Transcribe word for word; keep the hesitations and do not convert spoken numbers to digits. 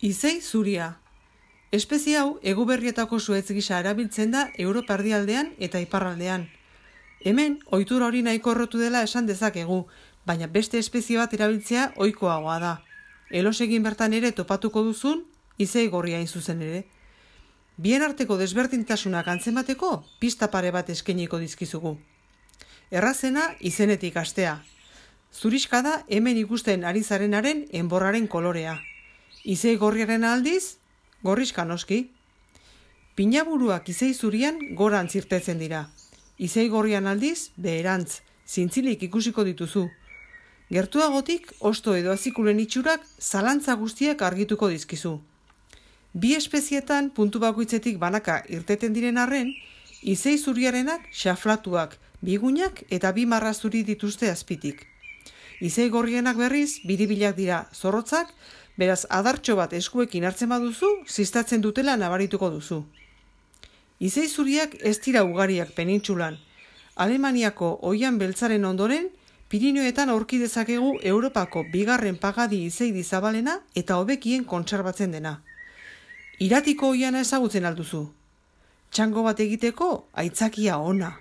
Izei zuria. Espezie hau Eguberrietako zuhaitz gisa erabiltzen da Europa erdialdean eta iparraldean. Hemen, ohitura hori nahiko errotu dela esan dezakegu, baina beste espezie bat erabiltzea ohikoagoa da. Elosegin bertan ere topatuko duzun, izei gorria hain zuzen ere. Bien arteko desberdintasunak antzemateko, pista pare bat eskainiko dizkizugu. Errazena izenetik hastea. Zuriska da hemen ikusten ari zarenaren enborraren kolorea. Izei gorriaren aldiz, gorriska noski. Pinaburuak izei zurian gorantz irtetzen dira. Izei gorrian aldiz, beherantz, zintzilik ikusiko dituzu. Gertuagotik, osto edo azikulen itxurak zalantza guztiak argituko dizkizu. Bi espezietan puntu bakoitzetik banaka irteten diren arren, izei zuriarenak xaflatuak, bigunak eta bi marra zuri dituzte azpitik. Izei gorrienak berriz, biribilak dira zorrotzak, beraz adartxo bat eskuekin hartzen baduzu, ziztatzen dutela nabarituko duzu. Izei zuriak ez dira ugariak penintsulan. Alemaniako oian beltzaren ondoren, Pirinioetan aurki dezakegu Europako bigarren pagadi izeidi zabalena eta hobekien kontserbatzen dena. Iratiko oiana ezagutzen alduzu. Txango bat egiteko aitzakia ona.